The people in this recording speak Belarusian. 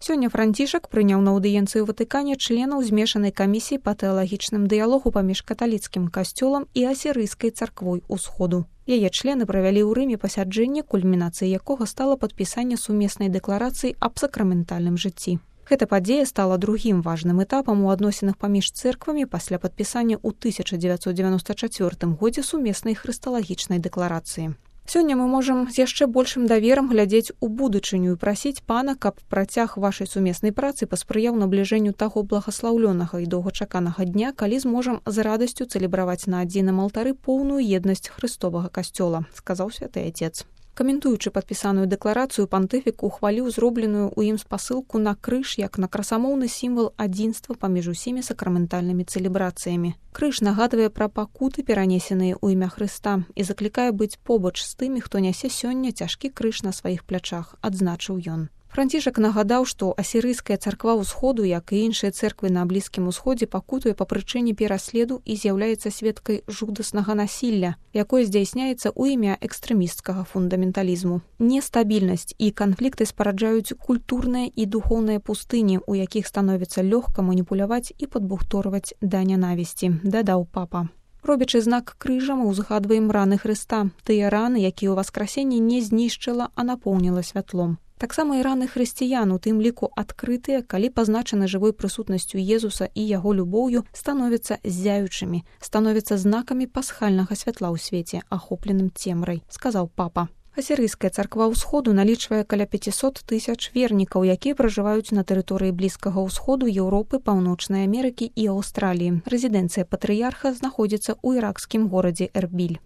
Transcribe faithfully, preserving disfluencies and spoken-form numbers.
Сёння Францішак прыняў на аўдыенцыі ў Ватыкане членаў змешанай камісіі па тэалагічным дыялогу паміж каталіцкім касцёлам і асірыйскай царквой усходу. Яе члены правялі ў Рыме пасяджэнне, кульмінацыяй якога стала падпісанне сумеснай дэкларацыі аб сакраментальным жыцці. Гэта падзея стала другім важным этапам у адносінах паміж цэрквамі пасля падпісання ў тысяча дзевяцьсот дзевяноста чацвёртым годзе сумеснай хрысталагічнай дэкларацыі. Сёння мы можам з яшчэ большым даверам глядзець у будучыню і прасіць пана, каб працяг вашай сумеснай працы паспрыяў набліжэнню таго благаслаўлёнага і доўгачаканага дня, калі зможам з радасцю цэлебраваць на адзіным алтары поўную еднасць хрыстовага касцёла, сказаў святы Отец. Каментуючы падпісаную дэкларацыю, пантыфік ухваліў зробленую ў ім спасылку на крыж як на красамоўны сімвал адзінства паміж усімі сакраментальнымі цэлебрацыямі. Крыж нагадвае пра пакуты, перанесеныя ў імя Хрыста, і заклікае быць побач з тымі, хто нясе сёння цяжкі крыж на сваіх плячах, адзначыў ён. Францішак нагадаў, што асірыйская царква ўсходу, як і іншыя цэрквы на Блізкім усходзе, пакутуе па прычыне пераследу і з'яўляецца сведкай жудаснага насілля, якое здзяйсняецца ў імя экстрэмісцкага фундаменталізму. Нестабільнасць і канфлікты спараджаюць культурныя і духоўныя пустыні, у якіх становіцца лёгка маніпуляваць і падбухторваць да нянавісці, дадаў папа. Робячы знак крыжа, мы ўзгадваем раны Хрыста, тыя раны, якія ў васкрасенні не знішчыла, а напоўніла святлом. Таксама і раны хрысціян, у тым ліку адкрытыя, калі пазначаны жывой прысутнасцю Езуса і яго любоўю, становяцца ззяючымі, становяцца знакамі пасхальнага святла ў свеце, ахопленым цемрай, сказаў папа. Асірыйская царква ўсходу налічвае каля пяцісот тысяч вернікаў, якія пражываюць на тэрыторыі Блізкага ўсходу, Еўропы, Паўночнай Амерыкі і Аўстраліі. Рэзідэнцыя патрыярха знаходзіцца ў іракскім горадзе Эрбіль.